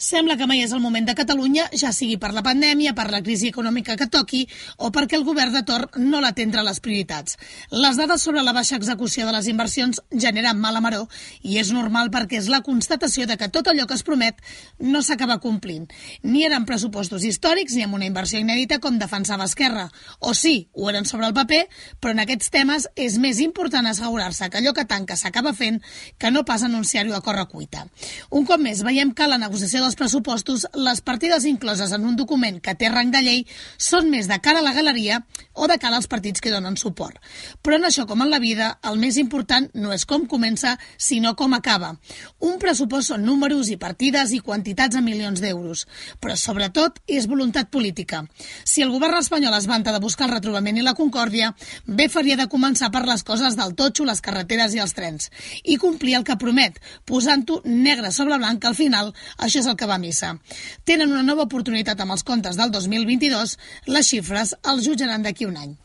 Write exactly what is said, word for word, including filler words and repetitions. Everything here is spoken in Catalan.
Sembla que mai és el moment de Catalunya, ja sigui per la pandèmia, per la crisi econòmica que toqui o perquè el govern de torn no l'atendra les prioritats. Les dades sobre la baixa execució de les inversions generen mala maror i és normal perquè és la constatació de que tot allò que es promet no s'acaba complint. Ni eren pressupostos històrics ni amb una inversió inèdita com defensava Esquerra. O sí, ho eren sobre el paper, però en aquests temes és més important assegurar-se que allò que tanca s'acaba fent que no pas anunciar-ho a correcuita. Un cop més, veiem que la negociació dels pressupostos, les partides incloses en un document que té rang de llei són més de cara a la galeria o de cara als partits que donen suport. Però en això, com en la vida, el més important no és com comença, sinó com acaba. Un pressupost són números i partides i quantitats en milions d'euros, però sobretot és voluntat política. Si el govern espanyol es vanta de buscar el retrobament i la concòrdia, bé faria de començar per les coses del totxo, les carreteres i els trens, i complir el que promet, posant-ho negre sobre blanc, que al final això és el que va a missa. Tenen una nova oportunitat amb els comptes del dos mil vint-i-dos, les xifres els jutjaran d'aquí un any.